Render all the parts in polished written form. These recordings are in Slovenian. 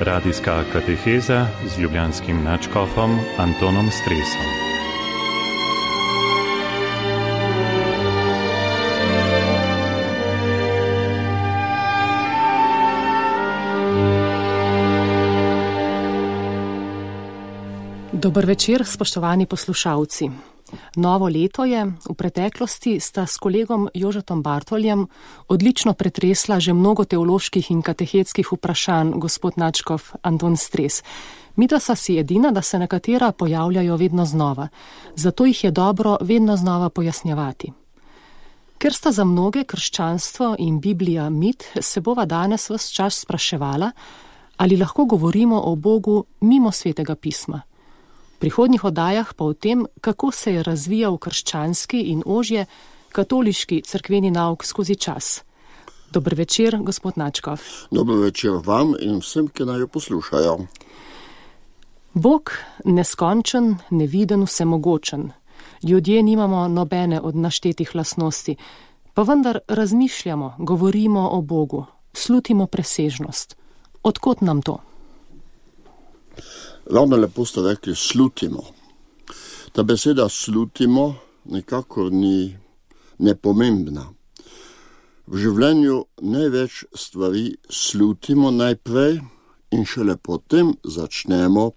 Radijska kateheza z ljubljanskim nadškofom Antonom Stresom. Dober večer, spoštovani poslušalci. Novo leto je, v preteklosti sta s kolegom Jožetom Bartoljem odlično pretresla že mnogo teoloških in katehetskih vprašanj gospod nadškof Anton Stres. Midva sta si edina, da se nekatera pojavljajo vedno znova, zato jih je dobro vedno znova pojasnjevati. Ker sta za mnoge krščanstvo in Biblija mit, se bova danes ves čas spraševala, ali lahko govorimo o Bogu mimo Svetega pisma. V prihodnjih oddajah pa o tem, kako se je razvijal krščanski in ožje katoliški cerkveni nauk skozi čas. Dober večer, gospod nadškof. Dober večer vam in vsem, ki naj jo poslušajo. Bog neskončen, neviden, vsemogočen. Ljudje nimamo nobene od naštetih lastnosti, pa vendar razmišljamo, govorimo o Bogu, slutimo presežnost. Odkot nam to? Ravno lepo ste rekli, slutimo. Ta beseda slutimo nekako ni nepomembna. V življenju največ stvari slutimo najprej in šele potem začnemo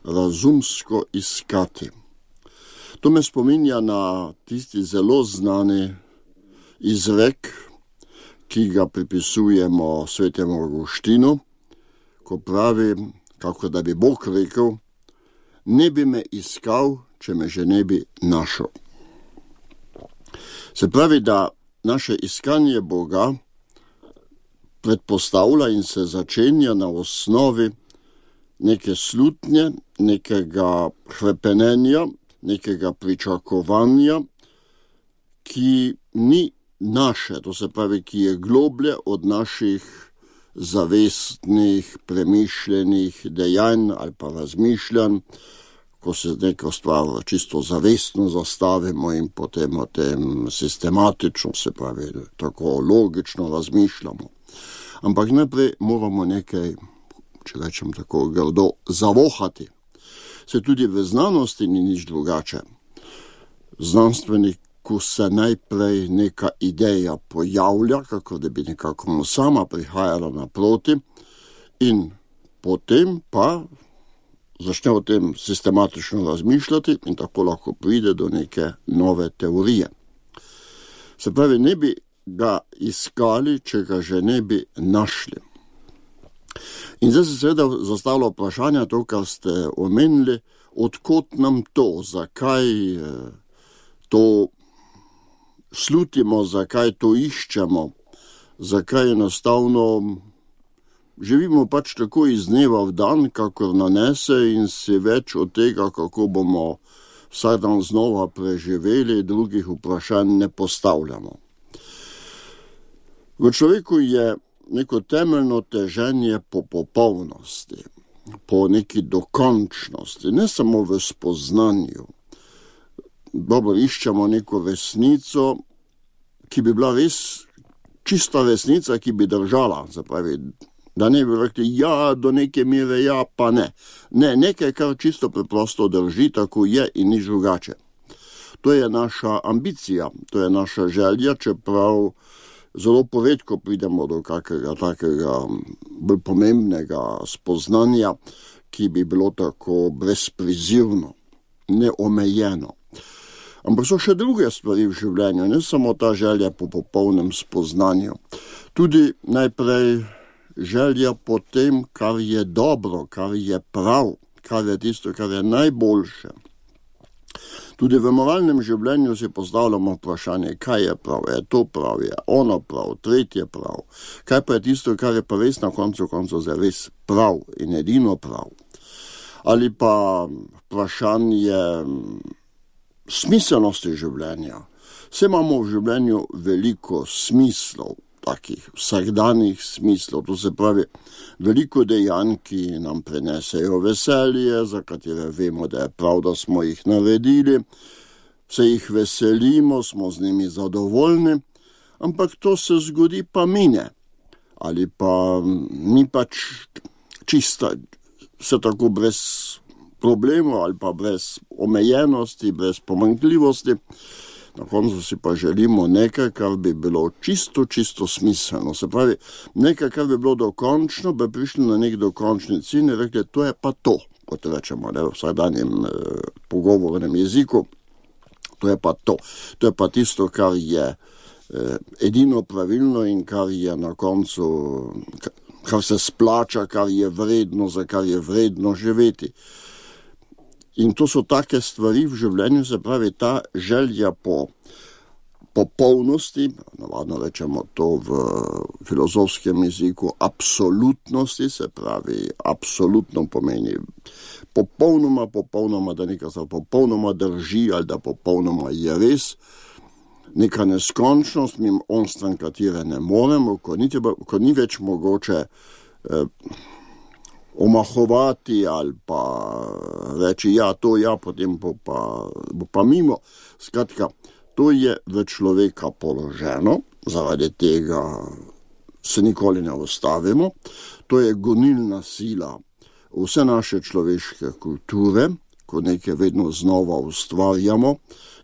razumsko iskati. To me spominja na tisti zelo znani izrek, ki ga pripisujemo svetemu Avguštinu, ko pravi, kako da bi Bog rekel, ne bi me iskal, če me že ne bi našel. Se pravi, da naše iskanje Boga predpostavlja in se začenja na osnovi neke slutnje, nekega hrepenenja, nekega pričakovanja, ki ni naše, to se pravi, ki je globlje od naših zavestnih, premišljenih dejanj ali pa razmišljanj, ko se neko stvar čisto zavestno zastavimo in potem o tem sistematično, se pravi, tako logično razmišljamo. Ampak najprej moramo nekaj, če rečem tako grdo, zavohati. Se tudi v znanosti ni nič drugače. Znanstvenik, ko se najprej neka ideja pojavlja, kako da bi nekako sama prihajala naproti in potem pa začne o tem sistematično razmišljati in tako lahko pride do neke nove teorije. Se pravi, ne bi ga iskali, če ga že ne bi našli. In zdaj se seveda zastavlja vprašanje, to, kar ste omenili, odkot nam to, zakaj to slutimo, zakaj to iščemo, zakaj enostavno živimo pač tako iz dneva v dan, kakor nanese in si več od tega, kako bomo vsak dan znova preživeli, drugih vprašanj ne postavljamo. V človeku je neko temeljno teženje po popolnosti, po neki dokončnosti, ne samo v spoznanju. Dobro, iščemo neko resnico, ki bi bila res čista resnica, ki bi držala. Zapravi, da ne bi rekli, ja, do neke mere, ja, pa ne. Ne, nekaj, kar čisto preprosto drži, tako je in nič drugače. To je naša ambicija, to je naša želja, čeprav zelo poredko pridemo do kakega takega bolj pomembnega spoznanja, ki bi bilo tako brezprizivno, neomejeno. Ampak so še druge stvari v življenju, ne samo ta želja po popolnem spoznanju. Tudi najprej želja po tem, kar je dobro, kar je prav, kar je tisto, kar je najboljše. Tudi v moralnem življenju si postavljamo vprašanje, kaj je prav, je to prav, je ono prav, tretje prav. Kaj pa je tisto, kar je pa res na koncu za res prav in edino prav. Ali pa vprašanje smiselnosti življenja. Vse imamo v življenju veliko smislov, takih vsakdanjih smislov, to se pravi veliko dejanj, ki nam prinesejo veselje, za katere vemo, da je prav, da smo jih naredili, se jih veselimo, smo z njimi zadovoljni, ampak to se zgodi pa mine. Ali pa ni pač čista, vse tako brez problemov ali pa brez omejenosti, brez pomanjkljivosti. Na koncu si pa želimo nekaj, kar bi bilo čisto smiselno. Se pravi, nekaj, kar bi bilo dokončno, bi prišli na nek dokončni cilj in rekli, to je pa to, kot rečemo, v vsakdanjem pogovornem jeziku. To je pa to. To je pa tisto, kar je edino pravilno in kar je na koncu, kar se splača, kar je vredno, za kar je vredno živeti. In to so take stvari v življenju, se pravi ta želja po popolnosti, navadno rečemo to v filozofskem jeziku, absolutnosti, se pravi absolutno pomeni popolnoma, da nekaj se popolnoma drži ali da popolnoma je res, neka neskončnost, mimo onstran katere ne moremo, ko ni več mogoče omahovati ali pa reči, to potem bo pa mimo. Skratka, to je v človeka položeno, zaradi tega se nikoli ne ustavimo. To je gonilna sila vse naše človeške kulture, ko nekaj vedno znova ustvarjamo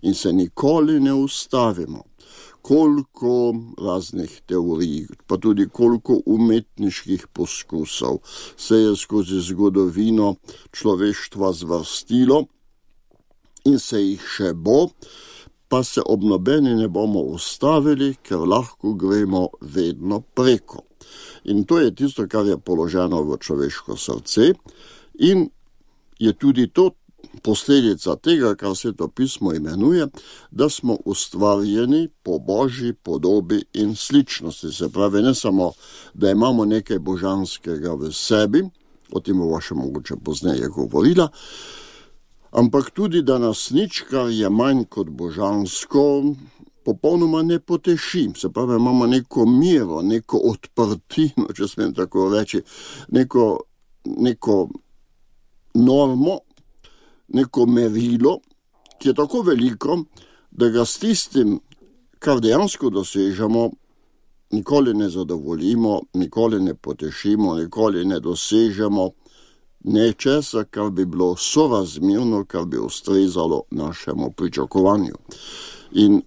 in se nikoli ne ustavimo. Koliko raznih teorij, pa tudi koliko umetniških poskusov se je skozi zgodovino človeštva zvrstilo in se jih še bo, pa se ob nobeni ne bomo ustavili, ker lahko gremo vedno preko. In to je tisto, kar je položeno v človeško srce in je tudi to posledica tega, kar Sveto pismo imenuje, da smo ustvarjeni po Božji podobi in sličnosti. Se pravi, ne samo, da imamo nekaj božanskega v sebi, o tem bo še mogoče pozneje govorila, ampak tudi, da nas nič, kar je manj kot božansko, popolnoma ne poteši. Se pravi, imamo neko miro, neko odprtino, če smem tako reči, neko normo, neko merilo, ki je tako veliko, da ga s tistim, kar dejansko dosežemo, nikoli ne zadovoljimo, nikoli ne potešimo, nikoli ne dosežemo nečesa, kar bi bilo sorazmerno, kar bi ustrezalo našemu pričakovanju. In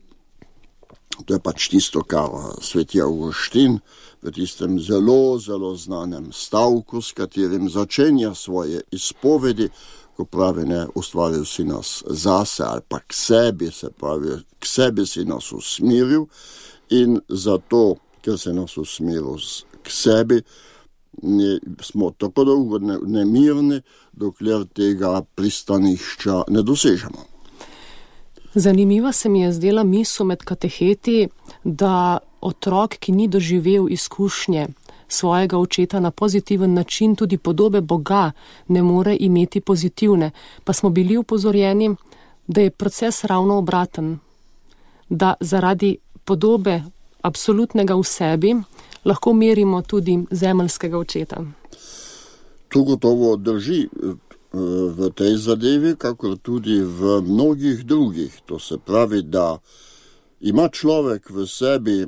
to je pač tisto, kar sveti Avguštin v tistem zelo znanem stavku, s katerim začenja svoje izpovedi, ko pravi, ustvaril si nas zase ali pa k sebi, se pravi, k sebi si nas usmeril in zato, ker si nas usmeril k sebi, smo tako dolgo nemirni, dokler tega pristanišča ne dosežemo. Zanimiva se mi je zdela misel med kateheti, da otrok, ki ni doživel izkušnje svojega očeta na pozitiven način, tudi podobe Boga ne more imeti pozitivne. Pa smo bili upozorjeni, da je proces ravno obraten, da zaradi podobe absolutnega v sebi lahko merimo tudi zemeljskega očeta. To gotovo drži v tej zadevi, kakor tudi v mnogih drugih. To se pravi, da ima človek v sebi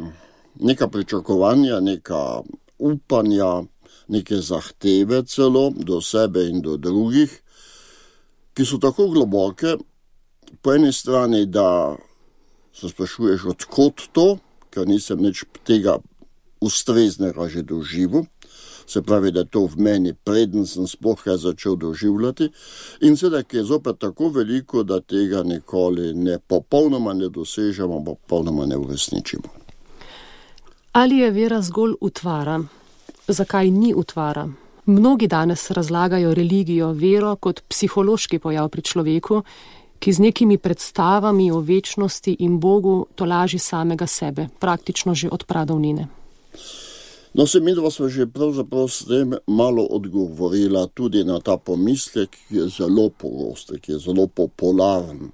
neka pričakovanja, neka upanja, neke zahteve celo do sebe in do drugih, ki so tako globoke, po eni strani, da se sprašuješ, odkot to, ker nisem nič tega ustreznega že doživel, se pravi, da to v meni preden sem sploh kaj začel doživljati in seveda, ki je zopet tako veliko, da tega nikoli popolnoma ne dosežemo, popolnoma ne uresničimo. Ali je vera zgolj utvara? Zakaj ni utvara? Mnogi danes razlagajo religijo, vero kot psihološki pojav pri človeku, ki z nekimi predstavami o večnosti in Bogu tolaži samega sebe, praktično že od pradavnine. No, se midva sva že pravzaprav s tem malo odgovorila tudi na ta pomislek, ki je zelo pogost, ki je zelo popularen.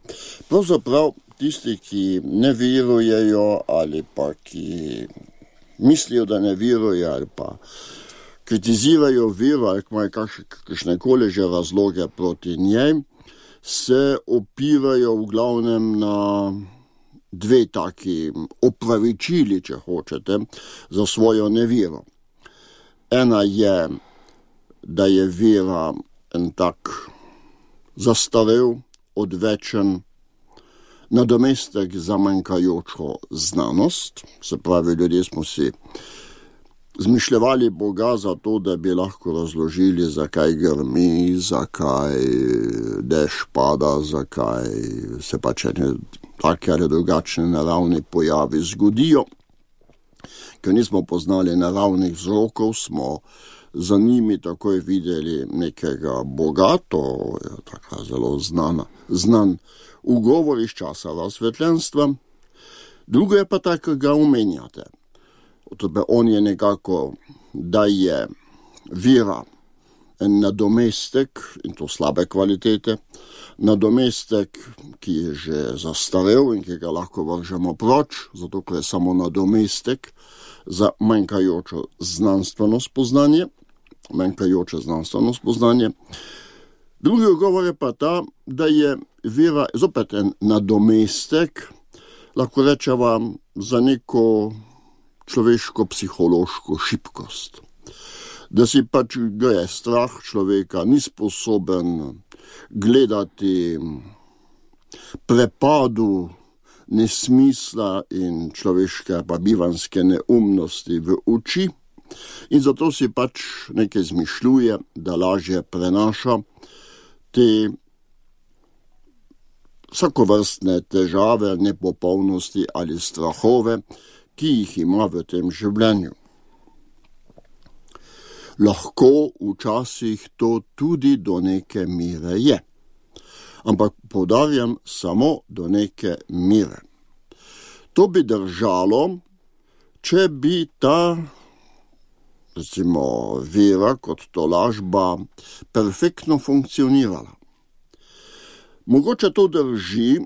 Pravzaprav tisti, ki ne verujejo ali pa ki mislijo, da ne verujejo ali pa kritizirajo vero ali imajo kakšnekoli že razloge proti njej, se opirajo v glavnem na dve taki opravičili, če hočete, za svojo nevero. Ena je da je vera en tak zastarel, odvečen nadomestek za manjkajočo znanost. Se pravi, ljudje smo si zmišljevali Boga za to, da bi lahko razložili, zakaj grmi, zakaj dež pada, zakaj se pač take ali drugačne naravne pojavi zgodijo. Ker nismo poznali naravnih vzrokov, smo za njimi takoj videli nekega Boga, to je taka zelo znan ugovor iz časa razsvetljenstva. Drugo je pa tako, ga omenjate. On je nekako, da je vera en nadomestek, in to slabe kvalitete, nadomestek, ki je že zastarel in ki ga lahko vržemo proč, zato ker je samo nadomestek za manjkajoče znanstveno spoznanje. Drugi odgovor je pa ta, da je vera zopet en nadomestek, lahko rečeva, za neko človeško psihološko šibkost. Da si pač ga je strah človeka, ni sposoben gledati prepadu nesmisla in človeške pa bivanske neumnosti v oči in zato si pač nekaj izmišljuje, da lažje prenaša te vsakovrstne težave, nepopolnosti ali strahove, ki jih ima v tem življenju. Lahko včasih to tudi do neke mere je, ampak poudarjam samo do neke mere. To bi držalo, če bi ta, recimo, vera kot tolažba perfektno funkcionirala. Mogoče to drži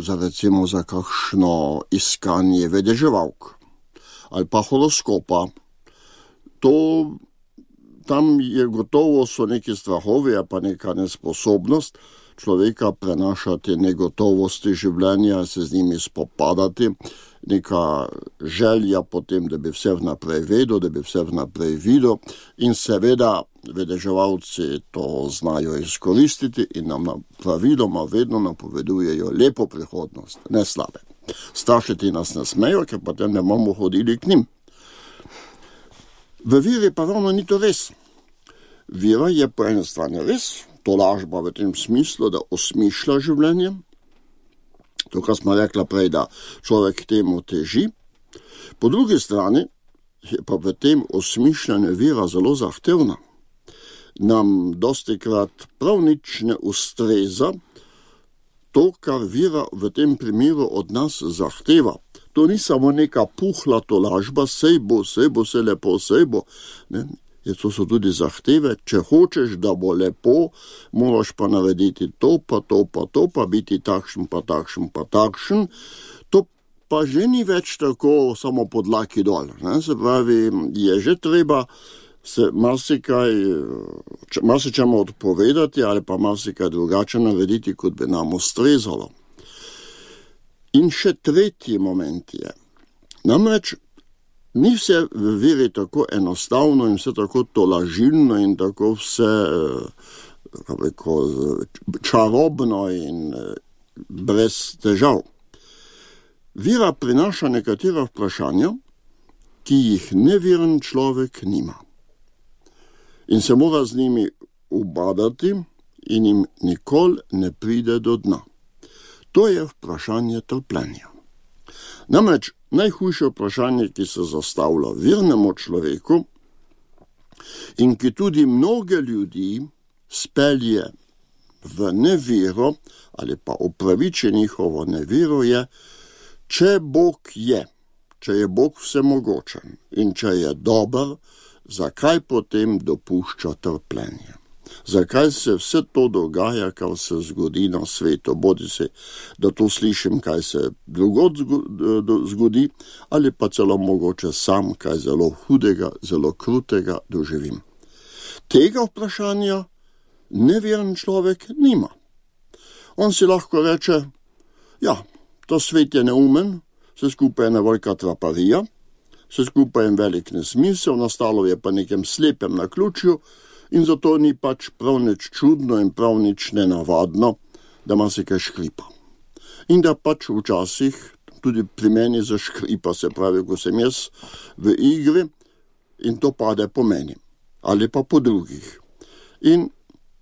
za kakšno iskanje vedeževalk ali pa horoskopa. Tam je gotovo so neki strahovi, pa neka nesposobnost človeka prenašati negotovosti življenja, se z njimi spopadati, neka želja potem, da bi vse vnaprej vedel, da bi vse vnaprej videl in seveda vedeževalci to znajo izkoristiti in nam praviloma vedno napovedujejo lepo prihodnost, ne slabe. Strašiti nas ne smejo, ker potem ne bomo hodili k njim. V veri pa ravno ni to res. Vera je po eni strani res, tolažba v tem smislu, da osmišlja življenje. To, kar smo rekla prej, da človek temu teži. Po drugi strani je pa v tem osmišljanju vera zelo zahtevna. Nam dostikrat prav nič ne ustreza to, kar vera v tem primeru od nas zahteva. To ni samo neka puhla tolažba, sej bo se lepo, sej bo. Ne? To so tudi zahteve, če hočeš, da bo lepo, moraš pa narediti to, pa biti takšen, pa takšen. To pa že ni več tako samo pod laki dol. Ne? Se pravi, je že treba se marsičemu odpovedati ali pa marsikaj drugače narediti, kot bi nam ustrezalo. In še tretji moment je. Namreč ni vse v veri tako enostavno in vse tako tolažilno in tako vse čarobno in brez težav. Vera prinaša nekatera vprašanja, ki jih neveren človek nima. In se mora z njimi ubadati in jim nikoli ne pride do dna. To je vprašanje trpljenja. Namreč najhujše vprašanje, ki se zastavlja vernemu človeku in ki tudi mnoge ljudi spelje v nevero ali pa upraviči njihovo nevero, je, če Bog je, če je Bog vsemogočen in če je dober, zakaj potem dopušča trpljenje? Zakaj se vse to dogaja, kar se zgodi na svetu? Bodi se, da to slišim, kaj se drugod zgodi, ali pa celo mogoče sam, kaj zelo hudega, zelo krutega doživim. Tega vprašanja neveren človek nima. On si lahko reče, ja, to svet je neumen, vse skupaj je ena velika traparija, vse skupaj je velik nesmisel, nastalo je pa nekem slepem naključju, In zato ni pač prav nič čudno in prav nič nenavadno, da ima se kaj škripa. In da pač včasih tudi pri meni zaškripa, se pravi, ko sem jaz v igri in to pade po meni ali pa po drugih. In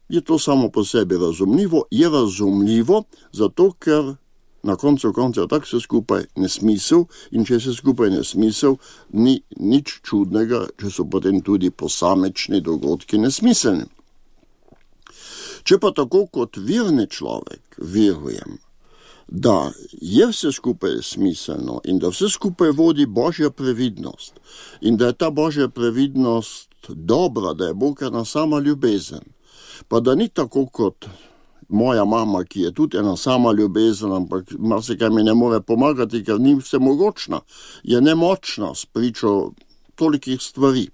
je to samo po sebi razumljivo, je razumljivo, zato ker na koncu koncev tak se skupaj nesmisel in če se skupaj nesmisel, ni nič čudnega, če so potem tudi posamečni dogodki nesmiselni. Če pa tako kot verni človek verujem, da je vse skupaj smiselno in da vse skupaj vodi Božja previdnost in da je ta Božja previdnost dobra, da je Bog ena sama ljubezen, pa da ni tako kot moja mama, ki je tudi ena sama ljubezen, ampak marsikaj mi ne more pomagati, ker ni vsemogočna, je nemočna s pričo tolikih stvari.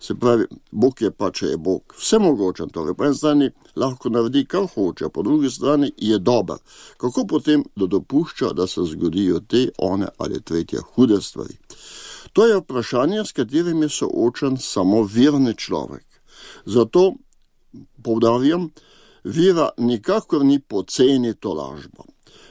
Se pravi, Bog je pa, če je Bog vsemogočen, torej po eni strani lahko naredi, kar hoče, po drugi strani je dober. Kako potem dopušča, da se zgodijo te, one ali tretje hude stvari? To je vprašanje, s katerim je soočen samo verni človek. Zato poudarjam, vera nikakor ni poceni tolažba.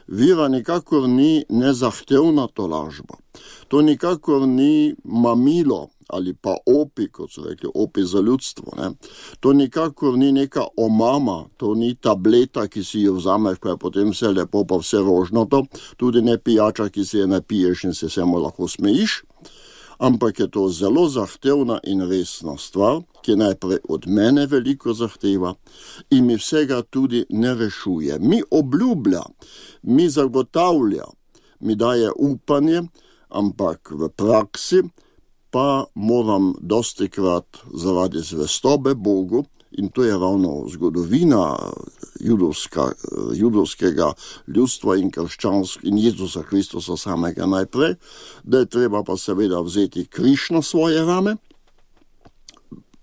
Vera nikakor ni nezahtevna tolažba. To nikakor ni mamilo ali pa opi, kot so rekli, opi za ljudstvo. Ne? To nikakor ni neka omama, to ni tableta, ki si jo vzameš, pa je potem vse lepo, pa vse rožnato, tudi ne pijača, ki si je napiješ in se samo lahko smejiš, ampak je to zelo zahtevna in resna stvar, ki najprej od mene veliko zahteva in mi vsega tudi ne rešuje. Mi obljublja, mi zagotavlja, mi daje upanje, ampak v praksi pa moram dostikrat zaradi zvestobe Bogu, in to je ravno zgodovina judovskega ljudstva in in Jezusa Kristusa samega najprej, da je treba pa seveda vzeti križ na svoje rame,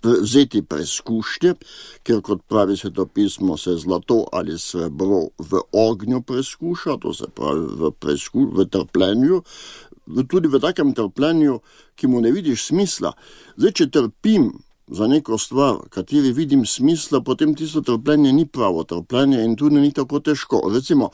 vzeti preskušnje, ker kot pravi svetopismo se zlato ali srebro v ognju preskuša, to se pravi v trpljenju, tudi v takem trpljenju, ki mu ne vidiš smisla. Zdaj, če trpim za neko stvar, kateri vidim smisla, potem tisto trpljenje ni pravo trpljenje in tudi ni tako težko. Recimo,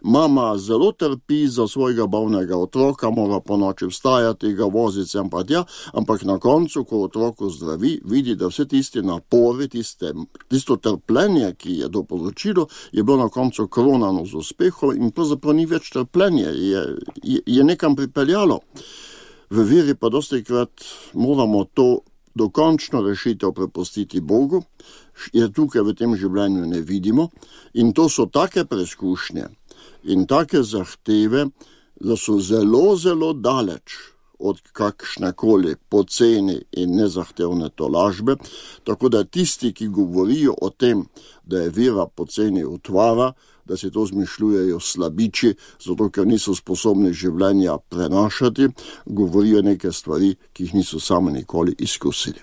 mama zelo trpi za svojega bolnega otroka, mora po noči vstajati, ga voziti sem pa tja, ampak na koncu, ko otroko zdravi, vidi, da vse tisti napori, tisto trpljenje, ki je to povzročilo, je bilo na koncu kronano z uspehom in pravzaprav ni več trpljenje, je nekam pripeljalo. V veri pa dostikrat moramo to dokončno rešitev prepustiti Bogu, je tukaj v tem življenju ne vidimo in to so take preskušnje in take zahteve, da so zelo, zelo daleč od kakšnekoli poceni in nezahtevne tolažbe, tako da tisti, ki govorijo o tem, da je vera poceni utvara, da si to zmišljujejo slabiči, zato ker niso sposobni življenja prenašati, govorijo neke stvari, ki jih niso sami nikoli izkusili.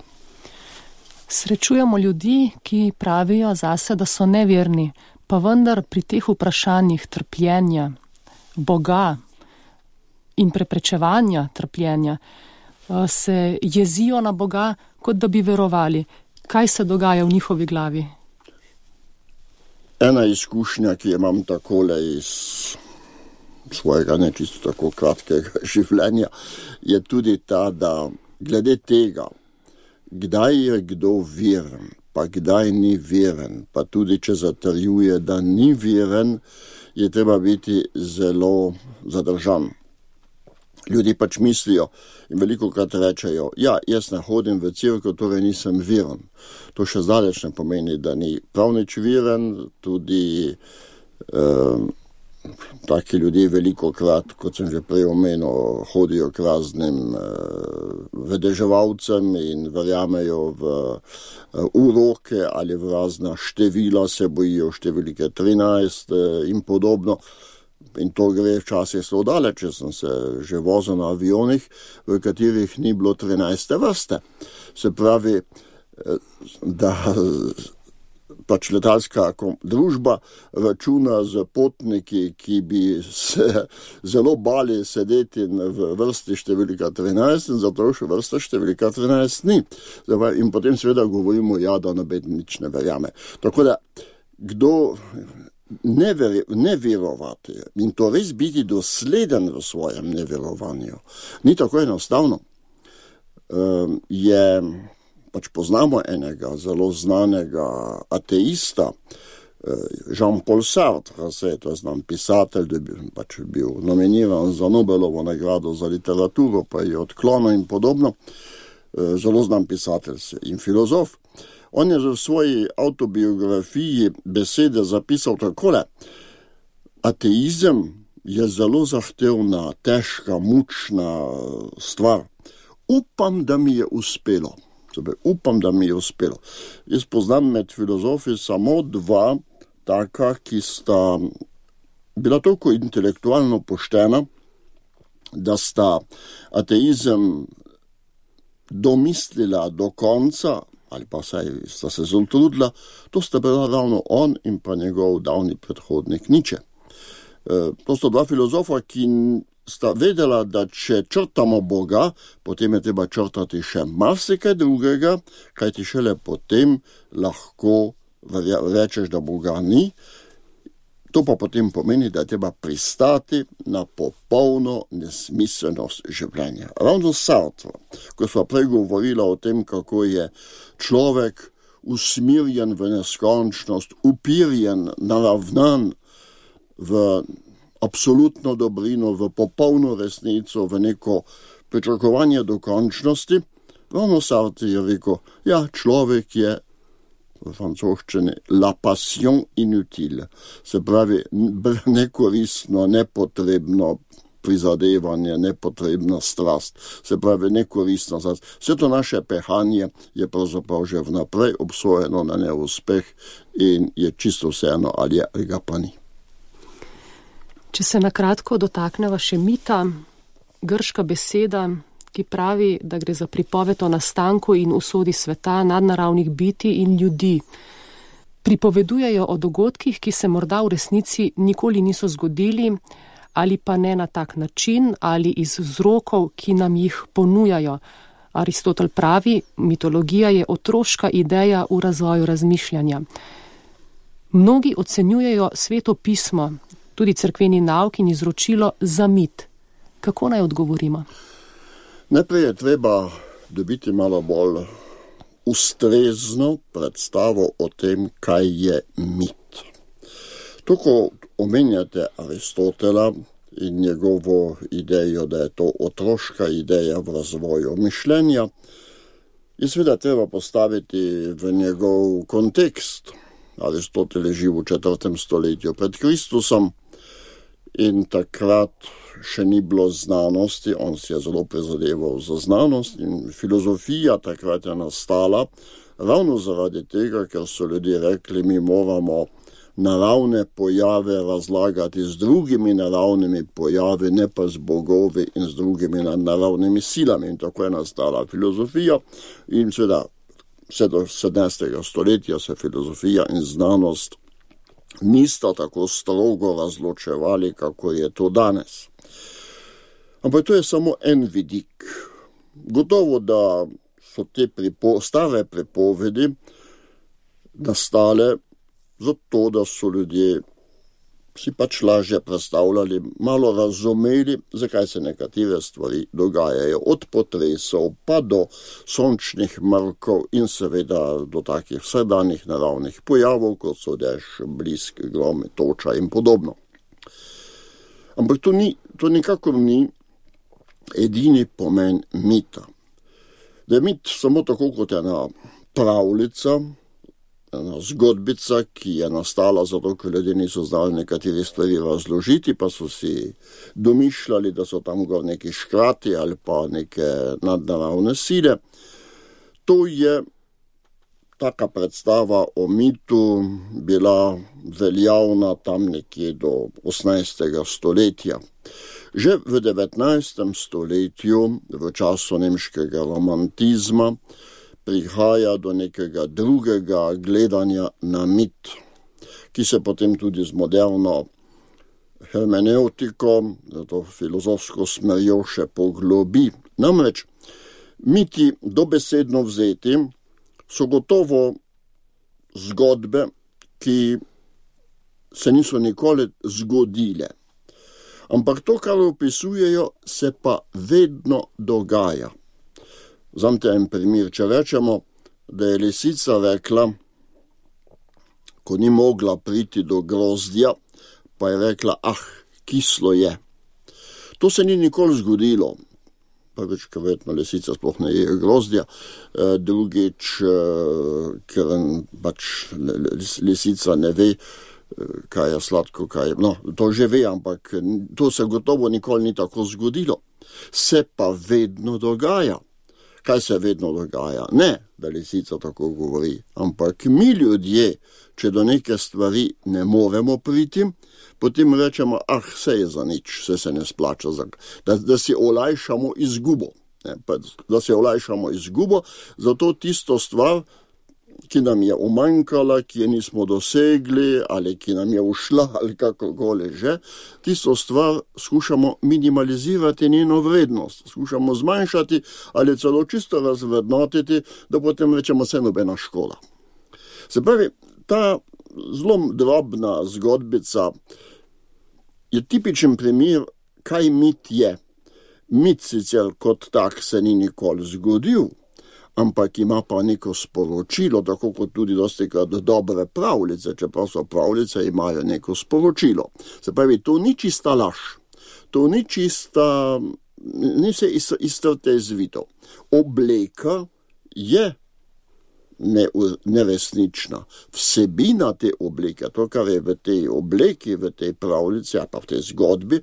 Srečujemo ljudi, ki pravijo zase, da so neverni, pa vendar pri teh vprašanjih trpljenja, Boga in preprečevanja trpljenja se jezijo na Boga, kot da bi verovali. Kaj se dogaja v njihovi glavi? Ena izkušnja, ki jo imam takole iz svojega ne čisto tako kratkega življenja, je tudi ta, da glede tega, kdaj je kdo veren, pa kdaj ni veren, pa tudi če zatrjuje, da ni veren, je treba biti zelo zadržan. Ljudje pač mislijo in velikokrat rečejo, ja, jaz ne hodim v cerkev, torej nisem veren. To še zdaleč ne pomeni, da ni prav nič veren, tudi taki ljudje velikokrat, kot sem že prej omenil, hodijo k raznim vedeževalcem in verjamejo v uroke ali v razna števila, se bojijo številke 13 in podobno. In to gre včasih zelo daleč, če sem se že vozil na avionih, v katerih ni bilo 13. vrste. Se pravi, da pač letalska družba računa z potniki, ki bi se zelo bali sedeti v vrsti številka 13 in zato še vrsta številka 13 ni. In potem seveda govorimo, ja, da nobeden nič ne verjame. Tako da, kdo ne verovati in to res biti dosleden v svojem neverovanju, ni tako enostavno. Pač poznamo enega zelo znanega ateista, Jean-Paul Sartre, to je znan pisatelj, da je pač bil nominiran za Nobelovo nagrado za literaturo, pa je odklonil in podobno. Zelo znan pisatelj in filozof. On je v svoji autobiografiji besede zapisal takole: ateizem je zelo zahtevna, težka, mučna stvar. Upam, da mi je uspelo. Jaz poznam med filozofi samo dva taka, ki sta bila toliko intelektualno poštena, da sta ateizem domislila do konca, ali pa vsaj sta se zelo trudila. To sta bila ravno on in pa njegov davni predhodnik Nietzsche. To sta dva filozofa, ki sta vedela, da če črtamo Boga, potem je treba črtati še marsikaj drugega, kajti šele potem lahko rečeš, da Boga ni. To pa potem pomeni, da je treba pristati na popolno nesmiselnost življenja. Ravno Sartre, ko sva prej govorila o tem, kako je človek usmirjen v neskončnost, upirjen, naravnan v absolutno dobrino, v popolno resnico, v neko pričakovanje dokončnosti. Ravno Sartre je rekel, ja, človek je v francoščini la passion inutile, se pravi nekoristno, nepotrebno prizadevanje, nepotrebna strast, se pravi nekoristna strast. Vse to naše pehanje je pravzaprav že vnaprej obsojeno na neuspeh in je čisto vseeno, ali ga pa ni. Če se na kratko dotakneva še mita, grška beseda, ki pravi, da gre za pripoved o nastanku in usodi sveta, nadnaravnih bitij in ljudi. Pripovedujejo o dogodkih, ki se morda v resnici nikoli niso zgodili, ali pa ne na tak način, ali iz vzrokov, ki nam jih ponujajo. Aristotel pravi, mitologija je otroška ideja v razvoju razmišljanja. Mnogi ocenjujejo Sveto pismo, tudi cerkveni nauk in izročilo za mit. Kako naj odgovorimo? Najprej je treba dobiti malo bolj ustrezno predstavo o tem, kaj je mit. To, ko omenjate Aristotela in njegovo idejo, da je to otroška ideja v razvoju mišljenja, je seveda treba postaviti v njegov kontekst. Aristotel je živ v 4. stoletju pred Kristusom in takrat še ni bilo znanosti, on si je zelo prizadeval za znanost in filozofija takrat je nastala ravno zaradi tega, ker so ljudje rekli, mi moramo naravne pojave razlagati z drugimi naravnimi pojavi, ne pa z bogovi in z drugimi naravnimi silami. In tako je nastala filozofija in seveda vse do 17. stoletja se filozofija in znanost nista tako strogo razločevali, kako je to danes. Ampak to je samo en vidik. Gotovo, da so te stare pripovedi nastale zato, da so ljudje si pač lažje predstavljali, malo razumeli, zakaj se nekatere stvari dogajajo. Od potresov pa do sončnih mrkov in seveda do takih vsakdanjih naravnih pojavov, kot so dež, blisk, grom, toča in podobno. Ampak to nikakor ni edini pomen mita. Da je mit samo tako kot ena pravljica, ena zgodbica, ki je nastala zato, ker ljudje niso znali nekateri stvari razložiti, pa so si domišljali, da so tam gor neki škrati ali pa neke nadnaravne sile. To je taka predstava o mitu bila veljavna tam nekje do 18. stoletja. Že v 19. stoletju, v času nemškega romantizma, prihaja do nekega drugega gledanja na mit, ki se potem tudi z moderno hermeneutiko, to filozofsko smerjo še poglobi. Namreč, miti dobesedno vzeti so gotovo zgodbe, ki se niso nikoli zgodile. Ampak to, kar opisujejo, se pa vedno dogaja. Vzamite en primer, če rečemo, da je lisica rekla, ko ni mogla priti do grozdja, pa je rekla, kislo je. To se ni nikoli zgodilo. Prvič, ker verjetno lisica sploh ne je grozdja, drugič, ker pač lisica ne ve, kaj je sladko, kaj je. No, to že ve, ampak to se gotovo nikoli ni tako zgodilo. Se pa vedno dogaja. Kaj se vedno dogaja? Ne, da lisica tako govori, ampak mi ljudje, če do neke stvari ne moremo priti, potem rečemo, vse je za nič, vse se ne splača, da si olajšamo izgubo. Da si olajšamo izgubo, zato tisto stvar, ki nam je umanjkala, ki je nismo dosegli, ali ki nam je ušla, ali kakokoli že, tisto stvar skušamo minimalizirati njeno vrednost, skušamo zmanjšati ali celo čisto razvrednotiti, da potem rečemo, vse nobena škoda. Se pravi, ta zelo drobna zgodbica je tipičen primer, kaj mit je. Mit sicer kot tak se ni nikoli zgodil, ampak ima pa neko sporočilo, tako kot tudi dostikrat dobre pravljice, čeprav so pravljice, imajo neko sporočilo. Se pravi, to ni čista laž, to ni čista, ni se iztrte zvito. Obleka je neresnična. Vsebina te obleke, to, kar je v tej obleki, v tej pravljici, pa v tej zgodbi,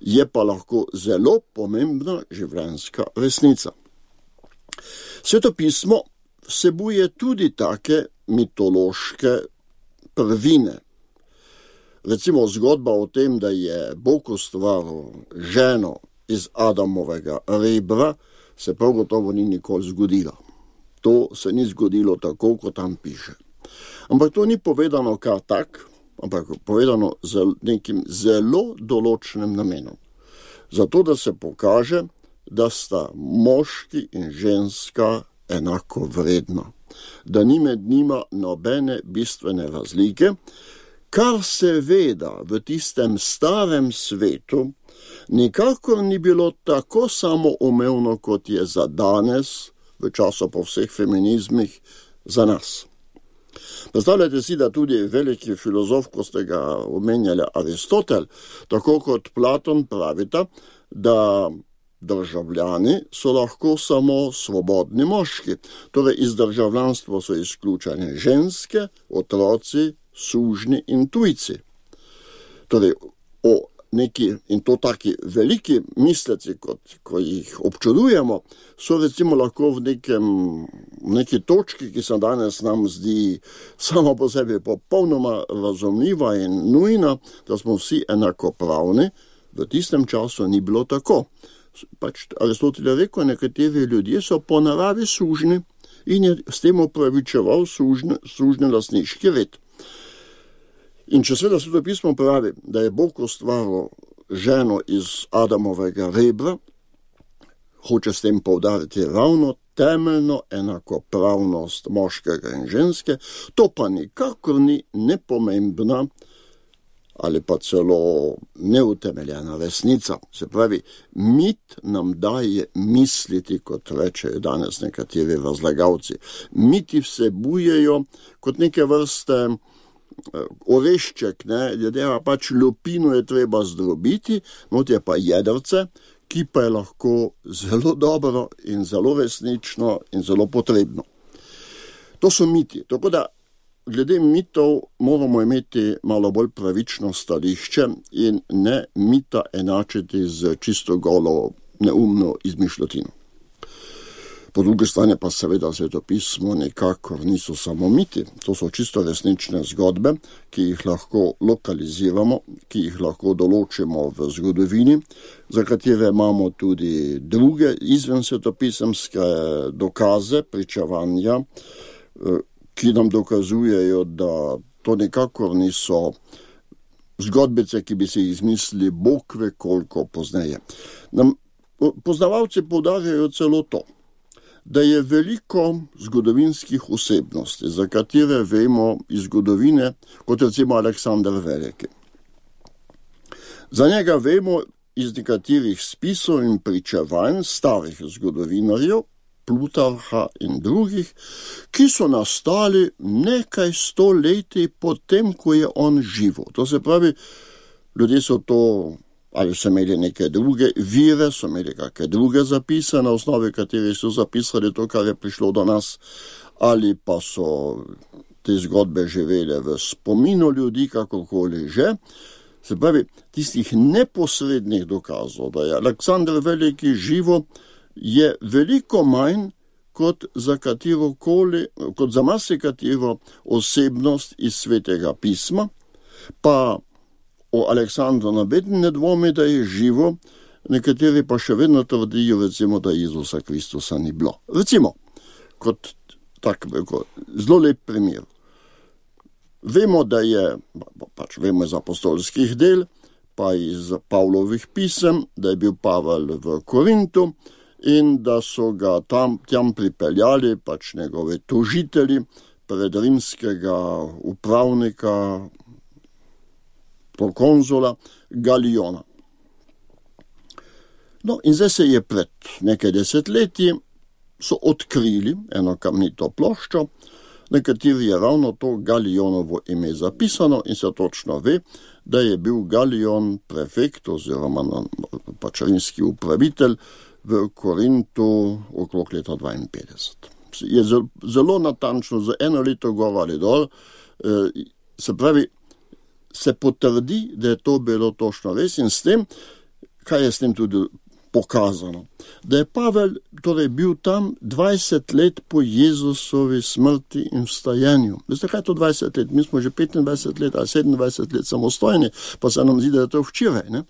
je pa lahko zelo pomembna življenjska resnica. Sveto pismo vsebuje tudi take mitološke prvine. Recimo zgodba o tem, da je Bog ustvaril ženo iz Adamovega rebra, se prav gotovo ni nikoli zgodila. To se ni zgodilo tako, kot tam piše. Ampak to ni povedano kar tak, ampak povedano z nekim zelo določenim namenom. Zato, da se pokaže, da sta moški in ženska enako vredna, da ni med njima nobene bistvene razlike, kar seveda v tistem starem svetu nikakor ni bilo tako samoumevno, kot je za danes, v času po vseh feminizmih, za nas. Predstavljajte si, da tudi veliki filozof, ko ste ga omenjali, Aristotel, tako kot Platon pravita, da državljani so lahko samo svobodni moški. Torej iz državljanstva so izključene ženske, otroci, sužnji in tujci. Torej in to taki veliki misleci, ko jih občudujemo, so recimo lahko v neki točki, ki se danes nam zdi samo po sebi popolnoma razumljiva in nujna, da smo vsi enakopravni, v tistem času ni bilo tako. Pač Aristotel je rekel, nekateri ljudje so po naravi sužni in je s tem opravičeval sužni lastniški red. In če seveda Sveto pismo pravi, da je Bog ustvaril ženo iz Adamovega rebra, hoče s tem poudariti ravno temeljno enakopravnost moškega in ženske, to pa nikakor ni nepomembna ali pa celo neutemeljena resnica. Se pravi, mit nam daje misliti, kot rečejo danes nekateri razlagalci. Miti vsebujejo kot neke vrste orešček, ljudeva pač lupino je treba zdrobiti, not je pa jedrce, ki pa je lahko zelo dobro in zelo resnično in zelo potrebno. To so miti, tako da glede mitov moramo imeti malo bolj pravično stališče in ne mita enačiti z čisto golo neumno izmišljotino. Po drugi strani pa seveda svetopismo nekako niso samo miti. To so čisto resnične zgodbe, ki jih lahko lokaliziramo, ki jih lahko določimo v zgodovini, za katere imamo tudi druge izven svetopisemske dokaze, pričevanja, ki nam dokazujejo, da to nekako niso zgodbice, ki bi si jih izmislili Bog ve koliko pozneje. Poznavalci poudarjajo celo to, da je veliko zgodovinskih osebnosti, za katere vemo iz zgodovine, kot recimo Aleksander Veliki. Za njega vemo iz nekaterih spisov in pričevanj starih zgodovinarjev, Plutarha in drugih, ki so nastali nekaj stoletij potem, ko je on živel. To se pravi, ljudje so to, ali so imeli neke druge vire, so imeli kakšne druge zapise, na osnovi katerih so zapisali to, kar je prišlo do nas, ali pa so te zgodbe živele v spominu ljudi, kakorkoli že. Se pravi, tistih neposrednih dokazov, da je Aleksander Veliki živo, je veliko manj kot za marsikatero osebnost iz Svetega pisma, pa o Aleksandru nobeden ne dvomi, da je živo, nekateri pa še vedno trdijo, recimo, da Jezusa Kristusa ni bilo. Recimo, kot tak zelo lep primer. Vemo, da je, vemo iz apostolskih del, pa iz Pavlovih pisem, da je bil Pavel v Korintu in da so ga tam pripeljali njegovi tožitelji pred rimskega upravnika, prokonzula Galiona. No, in zdaj se je pred nekaj desetletji so odkrili eno kamnito ploščo, na kateri je ravno to Galionovo ime zapisano in se točno ve, da je bil Galion prefekt oziroma rimski upravitelj v Korintu okrog leta 52. Je zelo natančno za eno leto gor ali dol, se pravi, se potrdi, da je to bilo točno res in s tem, kaj je s tem tudi pokazano, da je Pavel torej bil tam 20 let po Jezusovi smrti in vstajenju. Veste, kaj je to 20 let? Mi smo že 25 let ali 27 let samostojni, pa se nam zdi, da je to včeraj. Ne?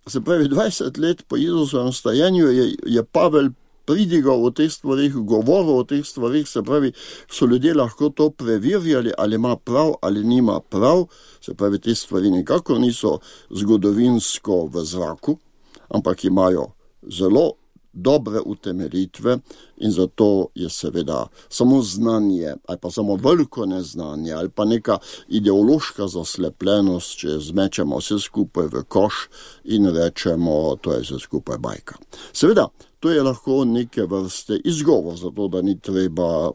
Se pravi, 20 let po Jezusovem vstajenju je Pavel pridigal o teh stvarih, govoril o teh stvarih, se pravi, so ljudje lahko to preverjali, ali ima prav ali nima prav, se pravi, te stvari nikakor niso zgodovinsko v zraku, ampak imajo zelo dobre utemeljitve in zato je seveda samo znanje ali pa samo veliko neznanje ali pa neka ideološka zaslepljenost, če zmečemo vse skupaj v koš in rečemo, to je vse skupaj bajka. Seveda, to je lahko neke vrste izgovor, zato da ni treba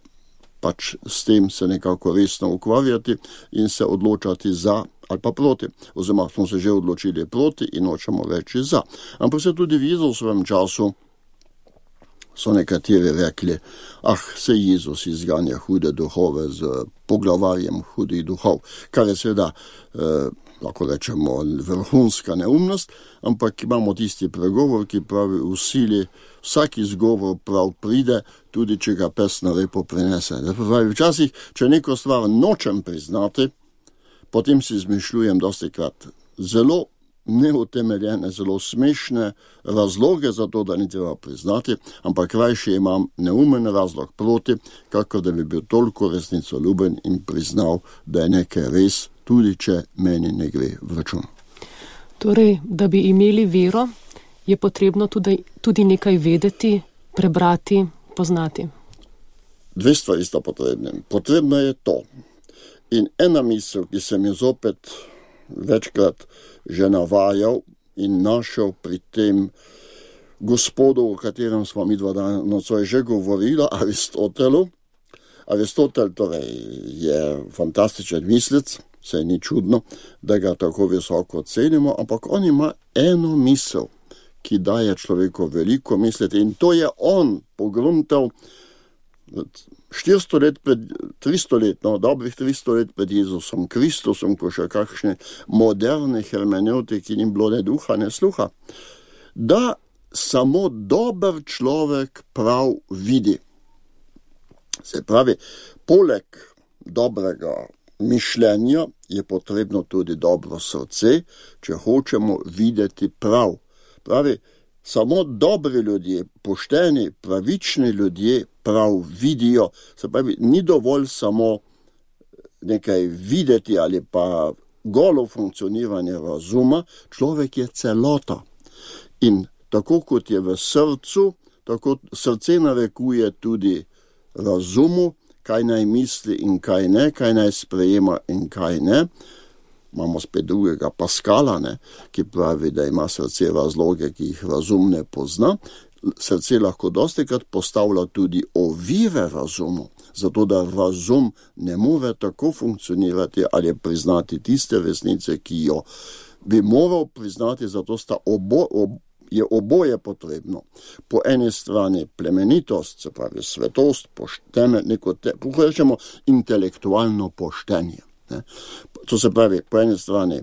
s tem se nekako resno ukvarjati in se odločati za ali pa proti, oziroma smo se že odločili proti in hočemo reči za. Ampak se tudi v Jezusovem času so nekateri rekli, se Jezus izganja hude duhove z poglavarjem hudih duhov, kar je seveda, lahko rečemo, vrhunska neumnost, ampak imamo tisti pregovor, ki pravi v sili, vsak izgovor prav pride, tudi če ga pes na repo prinese. Včasih, če neko stvar nočem priznati, potem si izmišljujem dostikrat zelo neutemeljene, zelo smešne razloge za to, da ni treba priznati, ampak rajši imam neumen razlog proti, kakor da bi bil toliko resnicoljuben in priznal, da je nekaj res, tudi če meni ne gre v račun. Torej, da bi imeli vero, je potrebno tudi nekaj vedeti, prebrati, poznati. Dve stvari sta potrebne. Potrebno je to. In ena misel, ki sem jo zopet večkrat že navajal in našel pri tem gospodu, o katerem smo mi dva dana nocoj že govorila, Aristotelu. Aristotel torej je fantastičen mislec, saj ni čudno, da ga tako visoko cenimo, ampak on ima eno misel, ki daje človeku veliko misliti in to je on pogruntal 400 let pred, 300 let, dobrih 300 let pred Jezusom Kristusom, ko še kakšne moderne hermeneutiki ni bilo ne duha, ne sluha, da samo dober človek prav vidi. Se pravi, poleg dobrega mišljenja je potrebno tudi dobro srce, če hočemo videti prav. Pravi, samo dobri ljudje, pošteni, pravični ljudje prav vidijo. Se pravi, ni dovolj samo nekaj videti ali pa golo funkcioniranje razuma, človek je celota. In tako kot je v srcu, tako srce narekuje tudi razumu, kaj naj misli in kaj ne, kaj naj sprejema in kaj ne. Imamo spet drugega Pascala, ki pravi, da ima srce razloge, ki jih razum ne pozna. Srce lahko dostikrat postavlja tudi ovire razumu, zato da razum ne more tako funkcionirati ali priznati tiste resnice, ki jo bi moral priznati, zato je oboje potrebno. Po eni strani plemenitost, se pravi svetost, rečemo intelektualno poštenje. To se pravi, po eni strani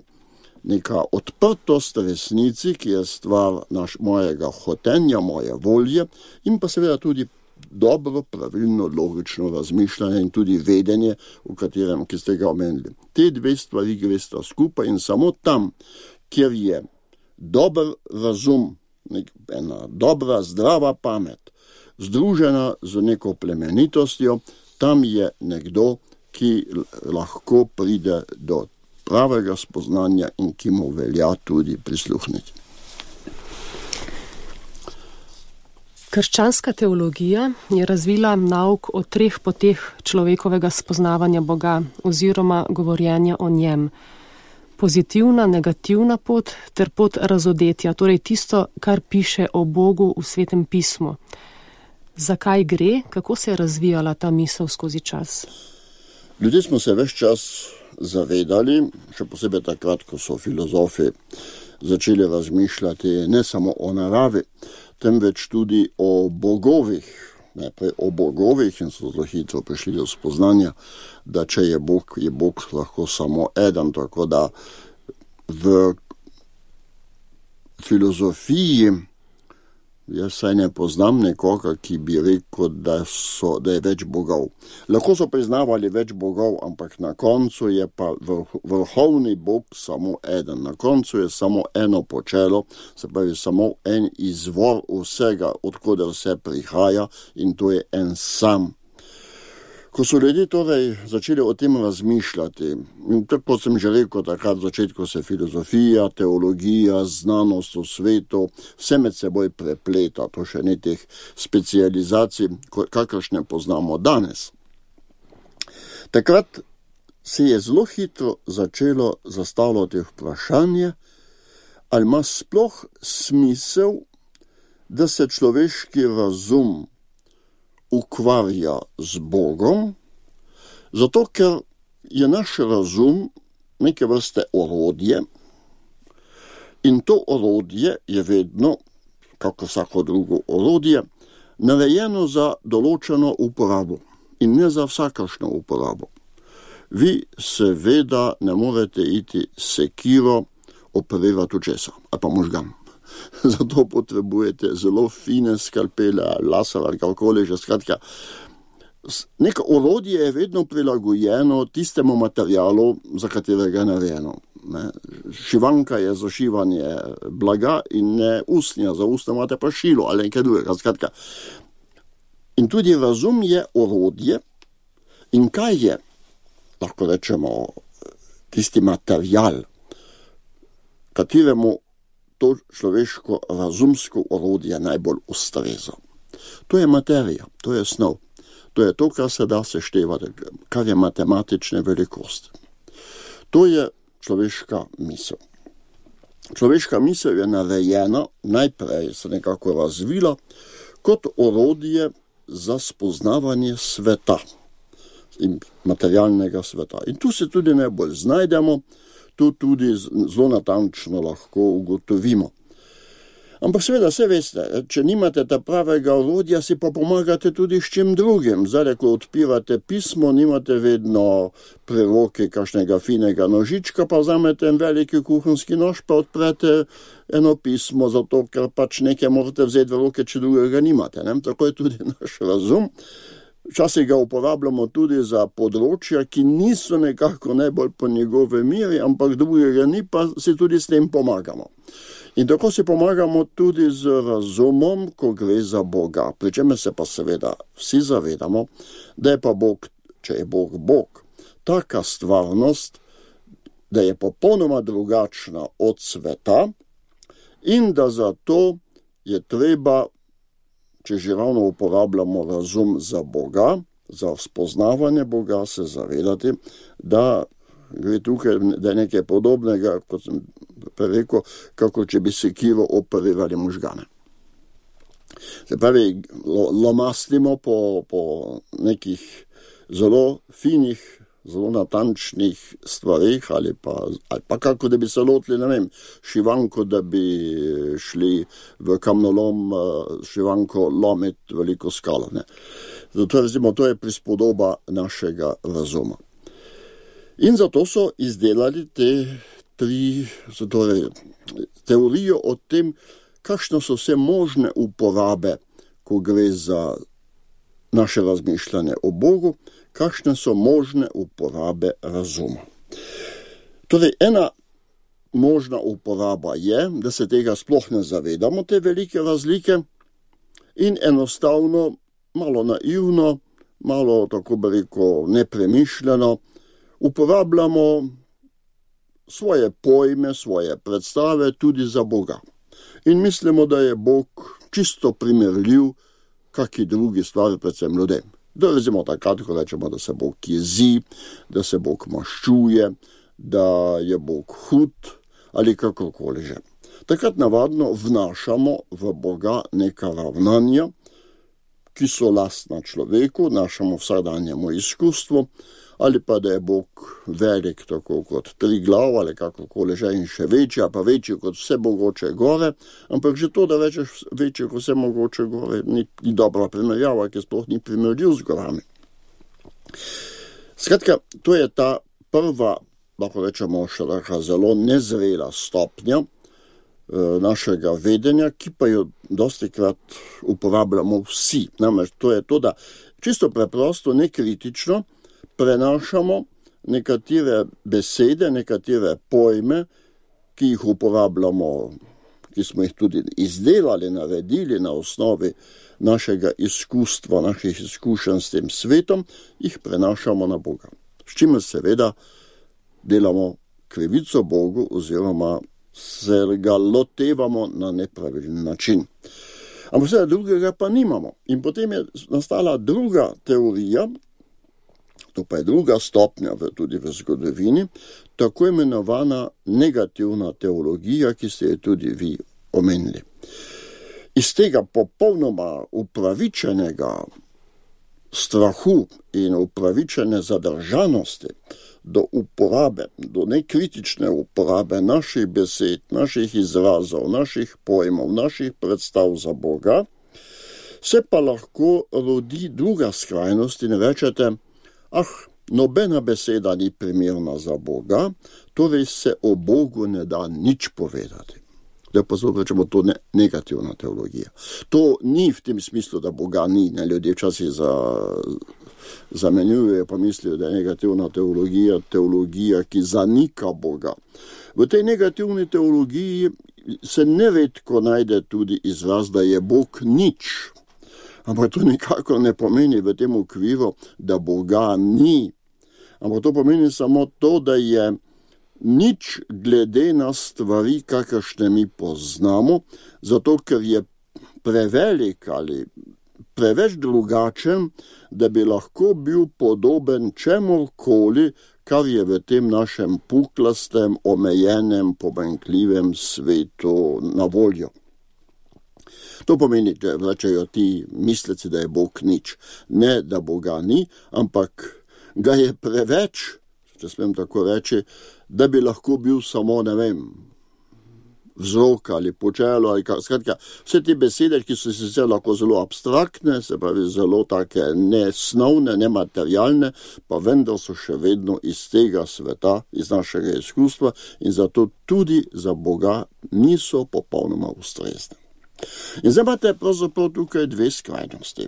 neka odprtost resnici, ki je stvar mojega hotenja, moje volje, in pa seveda tudi dobro, pravilno, logično razmišljanje in tudi vedenje, ki ste ga omenili. Te dve stvari gresta skupaj in samo tam, kjer je dober razum, ena dobra, zdrava pamet, združena z neko plemenitostjo, tam je nekdo, ki lahko pride do pravega spoznanja in ki mu velja tudi prisluhniti. Krščanska teologija je razvila nauk o 3 poteh človekovega spoznavanja Boga oziroma govorjenja o njem. Pozitivna, negativna pot ter pot razodetja, torej tisto, kar piše o Bogu v Svetem pismu. Zakaj gre, kako se je razvijala ta misel skozi čas? Ljudje smo se ves čas zavedali, še posebej takrat, ko so filozofi začeli razmišljati ne samo o naravi, temveč tudi o bogovih. Najprej o bogovih in so zelo hitro prišli do spoznanja, da če je Bog lahko samo eden, tako da v filozofiji jaz saj ne poznam nekoga, ki bi rekel, da je več bogov. Lahko so priznavali več bogov, ampak na koncu je pa vrhovni Bog samo eden. Na koncu je samo eno počelo, se pravi samo en izvor vsega, odkoder vse prihaja, in to je en sam. Ko so ljudje torej začeli o tem razmišljati, in tako sem že rekel, takrat v začetku se filozofija, teologija, znanost v svetu, vse med seboj prepleta, to še ni teh specializacij, kakršne poznamo danes. Takrat se je zelo hitro začelo zastavljati vprašanje, ali ima sploh smisel, da se človeški razum ukvarja z Bogom, zato ker je naš razum neke vrste orodje in to orodje je vedno, kako vsako drugo orodje, narejeno za določeno uporabo in ne za vsakršno uporabo. Vi seveda ne morete iti sekiro operirati očesa ali pa možgan. Zato potrebujete zelo fine skalpele, laser ali kakorkoli že, skratka. Neko orodje je vedno prilagojeno tistemu materialu, za katerega je narejeno. Šivanka je za šivanje blaga in ne usnja, za usnja imate pa šilo ali nekaj drugega, skratka. In tudi razum je orodje in kaj je, lahko rečemo, tisti material, kateremu to človeško razumsko orodje najbolj ustreza. To je materija, to je snov. To je to, kar se da seštevati, kar je matematične velikosti. To je človeška misel. Človeška misel je narejena, najprej se nekako razvila, kot orodje za spoznavanje sveta in materialnega sveta. In tu se tudi najbolj znajdemo, tu tudi zelo natančno lahko ugotovimo. Ampak seveda, se veste, če nimate ta pravega orodja, si pa pomagate tudi s čim drugim. Zdaj, ko odpirate pismo, nimate vedno pri roki kakšnega finega nožička, pa vzamete en veliki kuhinjski nož, pa odprete eno pismo, zato ker pač nekaj morate vzeti v roke, če drugega nimate. Ne? Tako je tudi naš razum. Včasih ga uporabljamo tudi za področja, ki niso nekako najbolj po njegove miri, ampak drugega ni, pa si tudi s tem pomagamo. In tako si pomagamo tudi z razumom, ko gre za Boga. Pri čemer se pa seveda vsi zavedamo, da je pa Bog, če je Bog Bog, taka stvarnost, da je popolnoma drugačna od sveta in da zato je treba, če že ravno uporabljamo razum za Boga, za spoznavanje Boga, se zavedati, da gre tukaj, da je nekaj podobnega, kot sem rekel, kako če bi sekiro operirali možgane. Se pravi, lomastimo po nekih zelo finih, zelo natančnih stvarih, ali pa kako da bi se lotili, ne vem, šivanko, da bi šli v kamnolom šivanko lomiti veliko skalo. Ne. Zato, recimo, to je prispodoba našega razuma. In zato so izdelali te teorijo o tem, kakšne so vse možne uporabe, ko gre za naše razmišljanje o Bogu, kakšne so možne uporabe razuma. Torej, ena možna uporaba je, da se tega sploh ne zavedamo, te velike razlike, in enostavno, malo naivno, malo, tako bi rekel, nepremišljeno, uporabljamo svoje pojme, svoje predstave tudi za Boga. In mislimo, da je Bog čisto primerljiv kaki drugi stvari, predvsem ljudem. Da recimo takrat, ko rečemo, da se Bog jezi, da se Bog maščuje, da je Bog hud ali kakorkoli že. Takrat navadno vnašamo v Boga neka ravnanja, ki so lastna človeku, našemu vsakdanjemu izkustvu, ali pa da je Bog velik tako kot 3 glav ali kakorkoli že in še večji, pa večji kot vse mogoče gore, ampak že to, da rečeš večji kot vse mogoče gore, ni dobra primerjava, ki sploh ni primerljiv z gorami. Skratka, to je ta prva, lahko rečemo, še taka zelo nezrela stopnja našega vedenja, ki pa jo dostikrat uporabljamo vsi. Namreč to je to, da čisto preprosto, nekritično prenašamo nekatere besede, nekatere pojme, ki jih uporabljamo, ki smo jih tudi izdelali, naredili na osnovi našega izkustva, naših izkušenj s tem svetom, jih prenašamo na Boga. S čimer seveda delamo krivico Bogu oziroma se ga lotevamo na nepravilen način. Ampak vse drugega pa nimamo. In potem je nastala druga teorija, to pa je druga stopnja tudi v zgodovini, tako imenovana negativna teologija, ki ste jo tudi vi omenili. Iz tega popolnoma upravičenega strahu in upravičene zadržanosti do uporabe, do nekritične uporabe naših besed, naših izrazov, naših pojmov, naših predstav za Boga, se pa lahko rodi druga skrajnost in rečete, nobena beseda ni primerna za Boga, torej se o Bogu ne da nič povedati. Da pa zelo rečemo, to negativna teologija. To ni v tem smislu, da Boga ni. Ne? Ljudje včasih zamenjujejo, pa mislijo, da je negativna teologija, ki zanika Boga. V tej negativni teologiji se neredko najde tudi izraz, da je Bog nič. Ampak to nikako ne pomeni v tem okviru, da Boga ni. Ampak to pomeni samo to, da je nič glede na stvari, kakršne mi poznamo, zato ker je prevelik ali preveč drugačen, da bi lahko bil podoben čemurkoli, kar je v tem našem puklastem, omejenem, pomanjkljivem svetu na voljo. To pomeni, da rečejo ti misleci, da je Bog nič. Ne, da Boga ni, ampak ga je preveč, če smem tako reči, da bi lahko bil samo, ne vem, vzrok ali počelo, ali skratka, vse te besede, ki so sicer lahko zelo abstraktne, se pravi zelo take nesnovne, nematerialne, pa vendar so še vedno iz tega sveta, iz našega izkustva in zato tudi za Boga niso popolnoma ustrezne. In zdaj imate pravzaprav tukaj dve skrajnosti.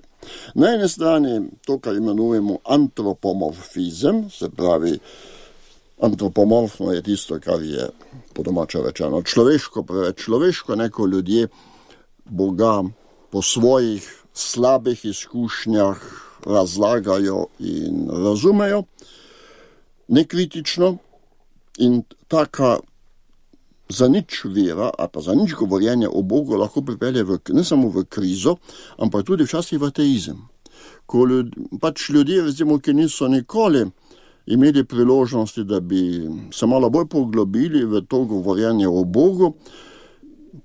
Na ene strani to, kar imenujemo antropomorfizem, se pravi, antropomorfno je tisto, kar je po domače rečeno človeško, preveč človeško, neko ljudje Boga po svojih slabih izkušnjah razlagajo in razumejo, nekritično, in taka zanič vera, ali pa zanič govorjenje o Bogu lahko pripelje ne samo v krizo, ampak tudi včasih v ateizem. Ko ljudje, recimo, ki niso nikoli imeli priložnosti, da bi se malo bolj poglobili v to govorjenje o Bogu,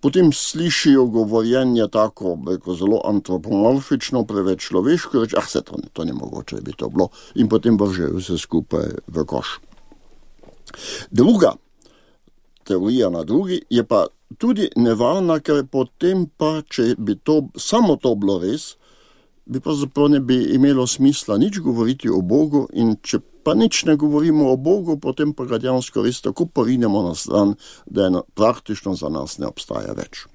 potem slišijo govorjenje tako, zelo antropomorfično, preveč človeško, reče, se to ne mogoče bi to bilo, in potem vržejo vse skupaj v koš. Druga teorija na drugi je pa tudi nevarna, ker potem pa, če bi to, samo to bilo res, bi pravzaprav ne bi imelo smisla nič govoriti o Bogu, in če pa nič ne govorimo o Bogu, potem pa ga dejansko res tako porinemo na stran, da je praktično za nas ne obstaja več.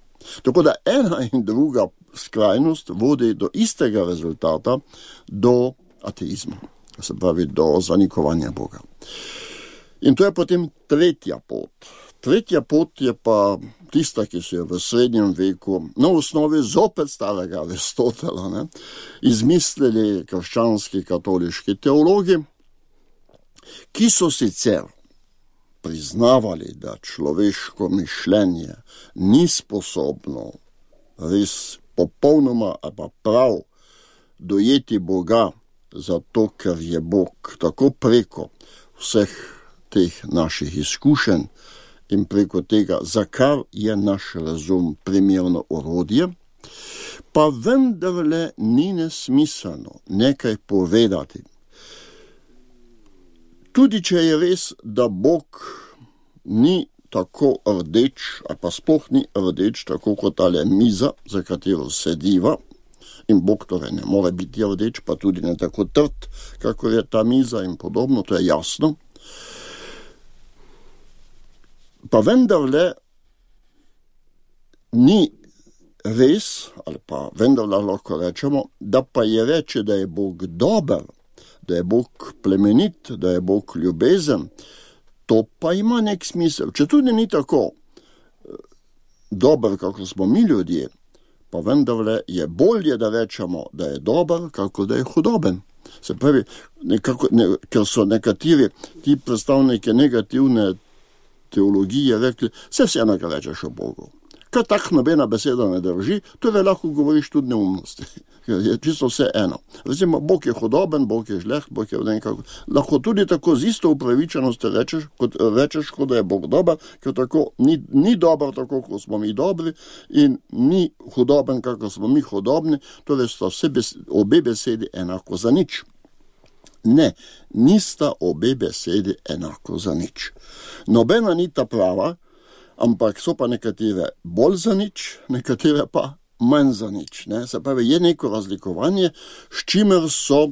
Tako da ena in druga skrajnost vodi do istega rezultata, do ateizma, se pravi do zanikovanja Boga. In to je potem tretja pot. Tretja pot je pa tista, ki so jo v srednjem veku, na osnovi zopet starega Aristotela, izmislili krščanski katoliški teologi, ki so sicer priznavali, da človeško mišljenje ni sposobno res popolnoma ali pa prav dojeti Boga, zato ker je Bog tako preko vseh teh naših izkušenj in preko tega, za kar je naš razum primerno orodje, pa vendarle ni nesmiselno nekaj povedati. Tudi če je res, da Bog ni tako rdeč, ali pa sploh ni rdeč, tako kot tale miza, za katero sediva, in Bog torej ne more biti rdeč, pa tudi ne tako trd, kako je ta miza in podobno, to je jasno. Pa vendarle ni res, ali pa vendarle lahko rečemo, da pa je reči, da je Bog dober, da je Bog plemenit, da je Bog ljubezen, to pa ima nek smisel. Če tudi ni tako dober, kako smo mi ljudje, pa vendarle je bolje, da rečemo, da je dober, kako da je hudoben. Se pravi, ker so nekateri ti predstavniki negativne teologije rekli, vseeno, kar rečeš o Bogu. Ker tako nobena beseda ne drži, torej lahko govoriš tudi neumnosti. Je čisto vse eno. Recimo, Bog je hudoben, Bog je žleht, Bog je nekako. Lahko tudi tako z isto upravičenosti rečeš, kot da je Bog dober, ker tako ni dober tako, kot smo mi dobri, in ni hudoben, kako smo mi hudobni, torej sta obe besedi enako za nič. Ne, nista obe besedi enako za nič. Nobena ni ta prava, ampak so pa nekatere bolj za nič, nekatere pa manj za nič. Se pravi, je neko razlikovanje, s čimer so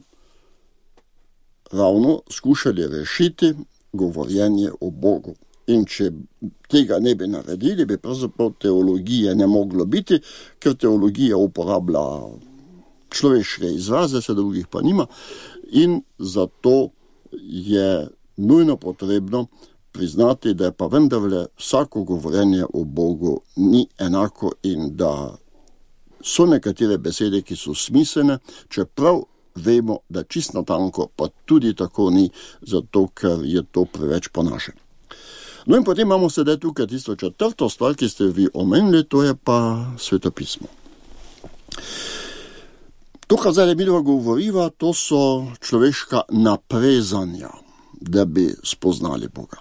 ravno skušali rešiti govorjenje o Bogu. In če tega ne bi naredili, bi pravzaprav teologije ne moglo biti, ker teologija uporablja človeške izraze, se drugih pa nima, in zato je nujno potrebno priznati, da je pa vendarle vsako govorjenje o Bogu ni enako in da so nekatere besede, ki so smiselne, čeprav vemo, da čisto natanko pa tudi tako ni, zato ker je to preveč po naše. No in potem imamo sedaj tukaj tisto četrto stvar, ki ste vi omenili, to je pa svetopismo. To, kar zdaj mi govoriva, to so človeška naprezanja, da bi spoznali Boga.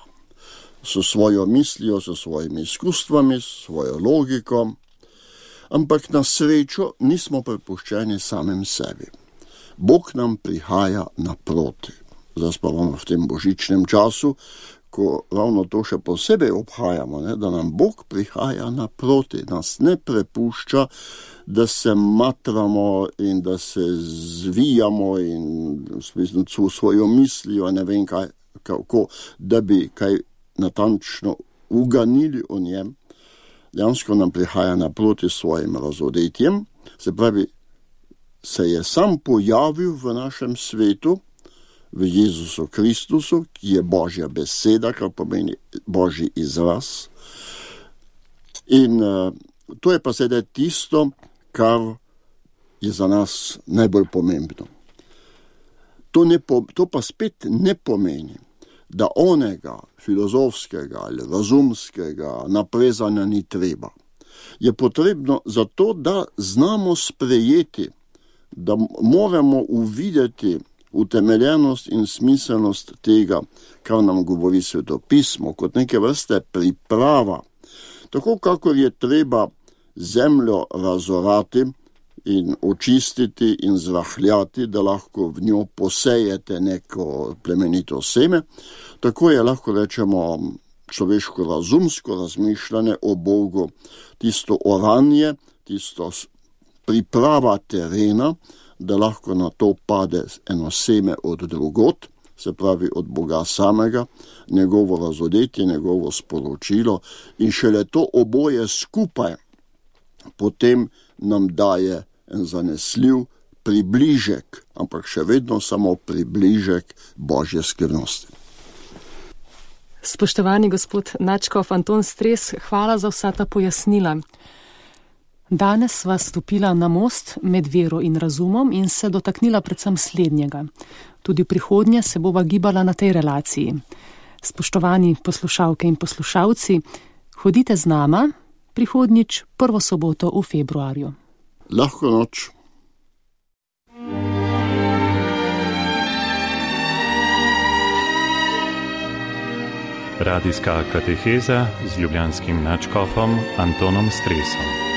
S svojo mislijo, s svojimi izkustvami, s svojo logiko, ampak na srečo nismo prepuščeni samim sebi. Bog nam prihaja naproti. Zdaj pa v tem božičnem času, ko ravno to še posebej obhajamo, ne, da nam Bog prihaja naproti, nas ne prepušča, da se matramo in da se zvijamo in v svojo mislijo, ne vem kaj, kako, da bi kaj natančno uganili o njem. Dejansko nam prihaja naproti svojim razodetjem, se pravi, se je sam pojavil v našem svetu, v Jezusu Kristusu, ki je Božja beseda, kar pomeni Božji izraz. In to je pa sedaj tisto, kar je za nas najbolj pomembno. To pa spet ne pomeni, da onega filozofskega ali razumskega naprezanja ni treba. Je potrebno zato, da znamo sprejeti, da moramo uvideti utemeljenost in smiselnost tega, kar nam govori Sveto pismo, kot neke vrste priprava. Tako kakor je treba zemljo razorati in očistiti in zrahljati, da lahko v njo posejete neko plemenito seme, tako je lahko rečemo človeško razumsko razmišljanje o Bogu, tisto oranje, tisto priprava terena, da lahko na to pade eno seme od drugot, se pravi od Boga samega, njegovo razodetje, njegovo sporočilo in šele to oboje skupaj potem nam daje en zanesljiv približek, ampak še vedno samo približek Božje skrivnosti. Spoštovani gospod nadškof Anton Stres, hvala za vsa ta pojasnila. Danes sva stopila na most med vero in razumom in se dotaknila predvsem slednjega. Tudi v prihodnje se bova gibala na tej relaciji. Spoštovani poslušalke in poslušalci, hodite z nama prihodnjič prvo soboto v februarju. Lahko noč. Radijska kateheza z ljubljanskim nadškofom Antonom Stresom.